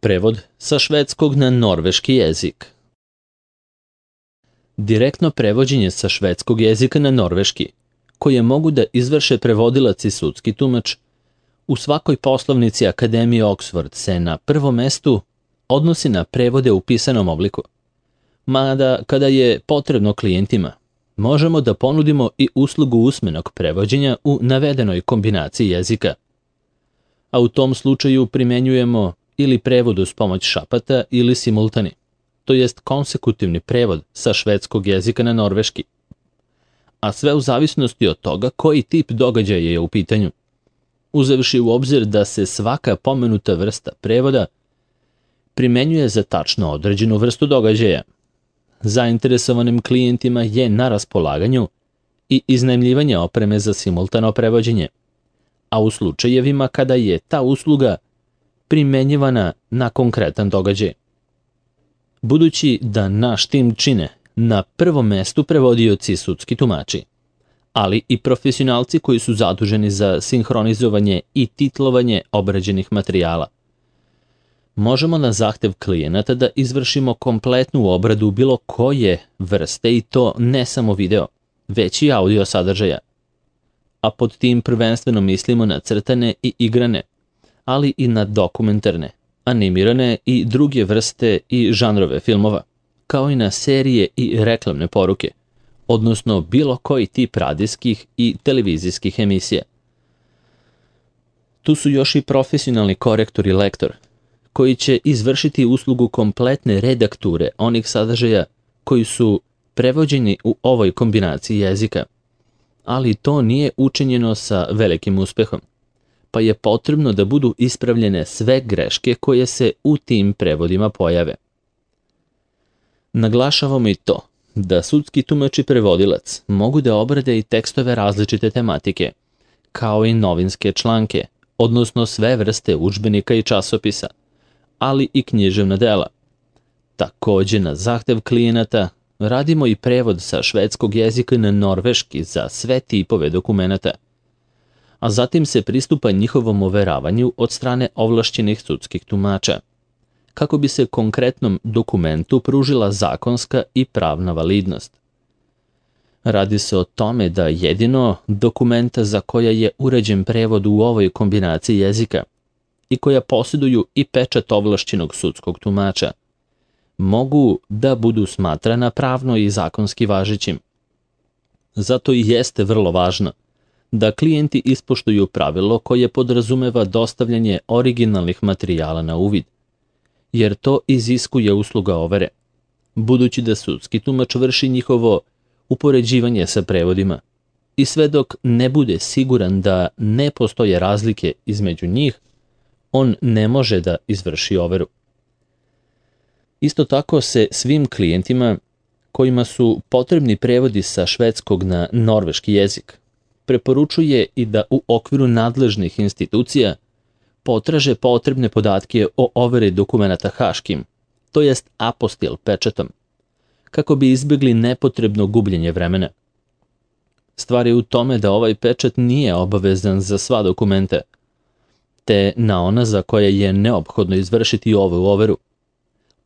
Prevod sa švedskog na norveški jezik. Direktno prevođenje sa švedskog jezika na norveški, koje mogu da izvrše prevodilac i sudski tumač, u svakoj poslovnici Akademije Oxford se na prvom mestu odnosi na prevode u pisanom obliku. Mada, kada je potrebno klijentima, možemo da ponudimo i uslugu usmenog prevođenja u navedenoj kombinaciji jezika. A u tom slučaju primenjujemo ili prevod uz pomoć šapata ili simultani, to jest konsekutivni prevod sa švedskog jezika na norveški. A sve u zavisnosti od toga koji tip događaja je u pitanju, uzevši u obzir da se svaka pomenuta vrsta prevoda primenjuje za tačno određenu vrstu događaja. Zainteresovanim klijentima je na raspolaganju i iznajmljivanje opreme za simultano prevođenje, a u slučajevima kada je ta usluga primenjivana na konkretan događaj. Budući da naš tim čine na prvom mestu prevodioci i sudski tumači, ali i profesionalci koji su zaduženi za sinhronizovanje i titlovanje obrađenih materijala, možemo na zahtev klijenata da izvršimo kompletnu obradu bilo koje vrste i to ne samo video, već i audio sadržaja. A pod tim prvenstveno mislimo na crtane i igrane, ali i na dokumentarne, animirane i druge vrste i žanrove filmova, kao i na serije i reklamne poruke, odnosno bilo koji tip radijskih i televizijskih emisija. Tu su još i profesionalni korektor i lektor, koji će izvršiti uslugu kompletne redakture onih sadržaja koji su prevođeni u ovoj kombinaciji jezika. Ali to nije učinjeno sa velikim uspehom, pa je potrebno da budu ispravljene sve greške koje se u tim prevodima pojave. Naglašavamo i to da sudski tumač i prevodilac mogu da obrade i tekstove različite tematike, kao i novinske članke, odnosno sve vrste udžbenika i časopisa, ali i književna dela. Takođe, na zahtev klijenata radimo i prevod sa švedskog jezika na norveški za sve tipove dokumenata, a zatim se pristupa njihovom overavanju od strane ovlašćenih sudskih tumača, kako bi se konkretnom dokumentu pružila zakonska i pravna validnost. Radi se o tome da jedino dokumenta za koja je uređen prevod u ovoj kombinaciji jezika i koja posjeduju i pečat ovlašćenog sudskog tumača, mogu da budu smatrana pravno i zakonski važećim. Zato i jeste vrlo važno da klijenti ispoštuju pravilo koje podrazumeva dostavljanje originalnih materijala na uvid, jer to iziskuje usluga overe, budući da sudski tumač vrši njihovo upoređivanje sa prevodima i sve dok ne bude siguran da ne postoje razlike između njih, on ne može da izvrši overu. Isto tako se svim klijentima kojima su potrebni prevodi sa švedskog na norveški jezik preporučuje i da u okviru nadležnih institucija potraže potrebne podatke o overi dokumenata haškim, to jest apostil pečatom, kako bi izbjegli nepotrebno gubljenje vremena. Stvar je u tome da ovaj pečat nije obavezan za sva dokumenta, te na ona za koje je neophodno izvršiti ovu overu.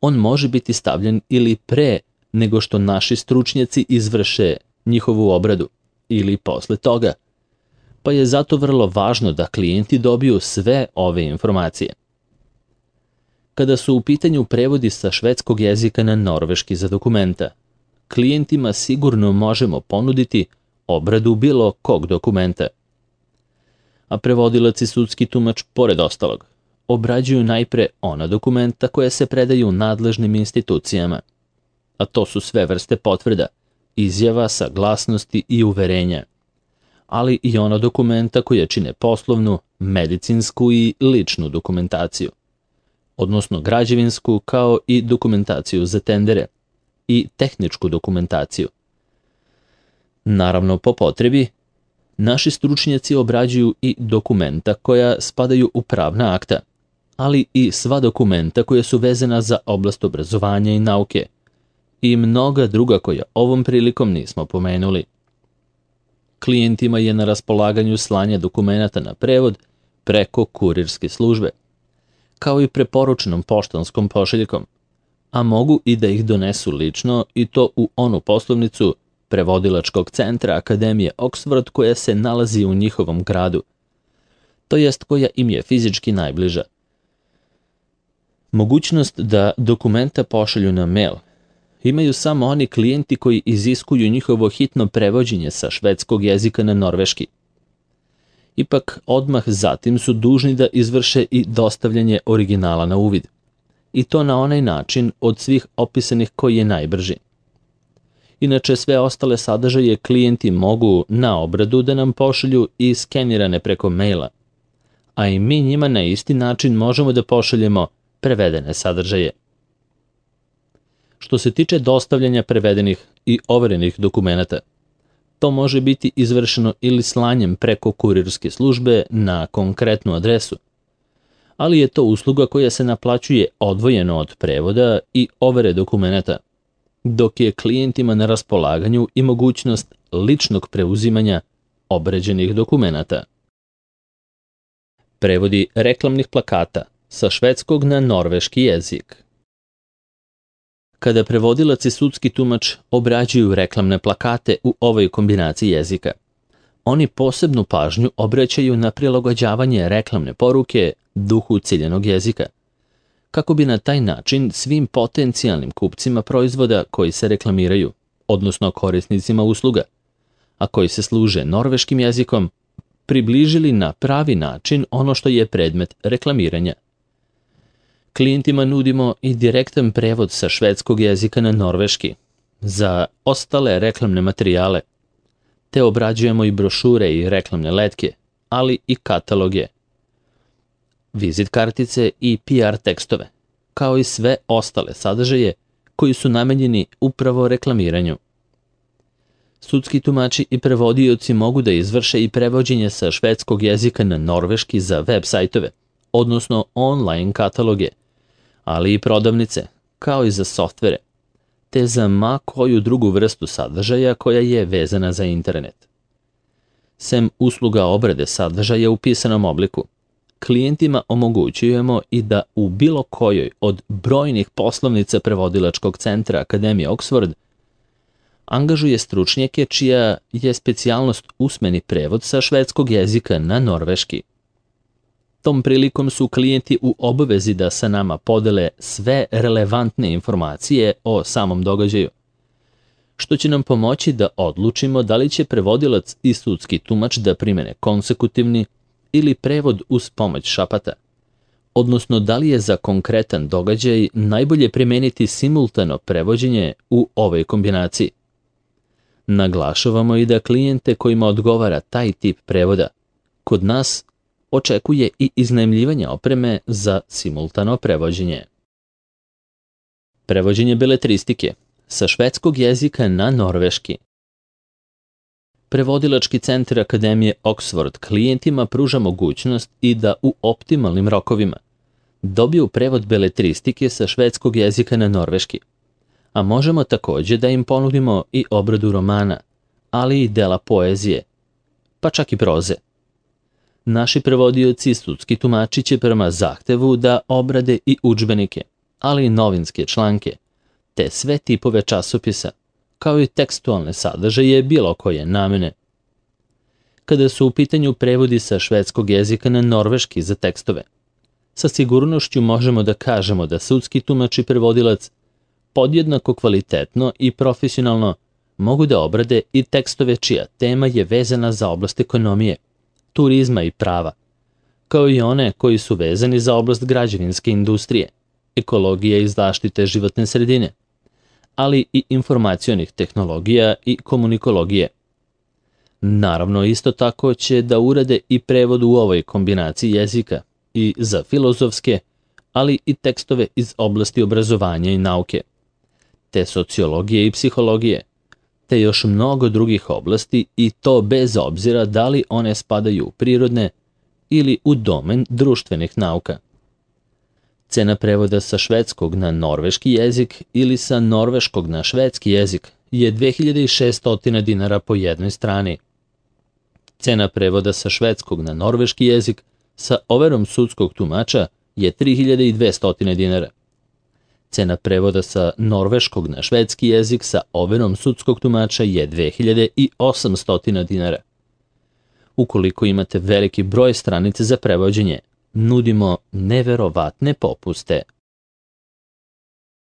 On može biti stavljen ili pre nego što naši stručnjaci izvrše njihovu obradu, ili posle toga, pa je zato vrlo važno da klijenti dobiju sve ove informacije. Kada su u pitanju prevodi sa švedskog jezika na norveški za dokumenta, klijentima sigurno možemo ponuditi obradu bilo kog dokumenta. A prevodilac i sudski tumač, pored ostalog, obrađuju najpre ona dokumenta koja se predaju nadležnim institucijama, a to su sve vrste potvrda, izjava, saglasnosti i uverenja, ali i ona dokumenta koja čine poslovnu, medicinsku i ličnu dokumentaciju, odnosno građevinsku kao i dokumentaciju za tendere i tehničku dokumentaciju. Naravno, po potrebi, naši stručnjaci obrađuju i dokumenta koja spadaju u pravna akta, ali i sva dokumenta koja su vezana za oblast obrazovanja i nauke i mnoga druga koja ovom prilikom nismo pomenuli. Klijentima je na raspolaganju slanje dokumenata na prevod preko kurirske službe, kao i preporučenom poštanskom pošiljkom, a mogu i da ih donesu lično i to u onu poslovnicu prevodilačkog centra Akademije Oxford koja se nalazi u njihovom gradu, to jest koja im je fizički najbliža. Mogućnost da dokumenta pošalju na mail imaju samo oni klijenti koji iziskuju njihovo hitno prevođenje sa švedskog jezika na norveški. Ipak, odmah zatim su dužni da izvrše i dostavljanje originala na uvid. I to na onaj način od svih opisanih koji je najbrži. Inače, sve ostale sadržaje klijenti mogu na obradu da nam pošalju i skenirane preko maila, a i mi njima na isti način možemo da pošaljemo prevedene sadržaje. Što se tiče dostavljanja prevedenih i overenih dokumenata, to može biti izvršeno ili slanjem preko kurirske službe na konkretnu adresu, ali je to usluga koja se naplaćuje odvojeno od prevoda i overe dokumenata, dok je klijentima na raspolaganju i mogućnost ličnog preuzimanja obređenih dokumenata. Prevodi reklamnih plakata sa švedskog na norveški jezik. Kada prevodilac i sudski tumač obrađuju reklamne plakate u ovoj kombinaciji jezika, oni posebnu pažnju obraćaju na prilagođavanje reklamne poruke duhu ciljanog jezika, kako bi na taj način svim potencijalnim kupcima proizvoda koji se reklamiraju, odnosno korisnicima usluga, a koji se služe norveškim jezikom, približili na pravi način ono što je predmet reklamiranja. Klijentima nudimo i direktan prevod sa švedskog jezika na norveški za ostale reklamne materijale, te obrađujemo i brošure i reklamne letke, ali i kataloge, vizit kartice i PR tekstove, kao i sve ostale sadržaje koji su namenjeni upravo reklamiranju. Sudski tumači i prevodioci mogu da izvrše i prevođenje sa švedskog jezika na norveški za web sajtove, odnosno online kataloge, ali i prodavnice, kao i za softvere, te za ma koju drugu vrstu sadržaja koja je vezana za internet. Sem usluga obrade sadržaja u pisanom obliku, klijentima omogućujemo i da u bilo kojoj od brojnih poslovnica prevodilačkog centra Akademije Oxford angažuje stručnjake čija je specijalnost usmeni prevod sa švedskog jezika na norveški. Tom prilikom su klijenti u obavezi da sa nama podele sve relevantne informacije o samom događaju, što će nam pomoći da odlučimo da li će prevodilac i sudski tumač da primene konsekutivni ili prevod uz pomoć šapata, odnosno da li je za konkretan događaj najbolje primeniti simultano prevođenje u ovoj kombinaciji. Naglašavamo i da klijente kojima odgovara taj tip prevoda, kod nas očekuje i iznajmljivanje opreme za simultano prevođenje. Prevođenje beletristike sa švedskog jezika na norveški. Prevodilački centar Akademije Oxford klijentima pruža mogućnost i da u optimalnim rokovima dobiju prevod beletristike sa švedskog jezika na norveški, a možemo također da im ponudimo i obradu romana, ali i dela poezije, pa čak i proze. Naši prevodioci i sudski tumači će prema zahtevu da obrade i udžbenike, ali i novinske članke, te sve tipove časopisa, kao i tekstualne sadržaje bilo koje namene. Kada su u pitanju prevodi sa švedskog jezika na norveški za tekstove, sa sigurnošću možemo da kažemo da sudski tumač i prevodilac podjednako kvalitetno i profesionalno mogu da obrade i tekstove čija tema je vezana za oblast ekonomije, turizma i prava, kao i one koji su vezani za oblast građevinske industrije, ekologije i zaštite životne sredine, ali i informacionih tehnologija i komunikologije. Naravno, isto tako će da urade i prevod u ovoj kombinaciji jezika i za filozofske, ali i tekstove iz oblasti obrazovanja i nauke, te sociologije i psihologije, te još mnogo drugih oblasti i to bez obzira da li one spadaju u prirodne ili u domen društvenih nauka. Cena prevoda sa švedskog na norveški jezik ili sa norveškog na švedski jezik je 2600 dinara po jednoj strani. Cena prevoda sa švedskog na norveški jezik sa overom sudskog tumača je 3200 dinara. Cena prevoda sa norveškog na švedski jezik sa overom sudskog tumača je 2800 dinara. Ukoliko imate veliki broj stranica za prevođenje, nudimo neverovatne popuste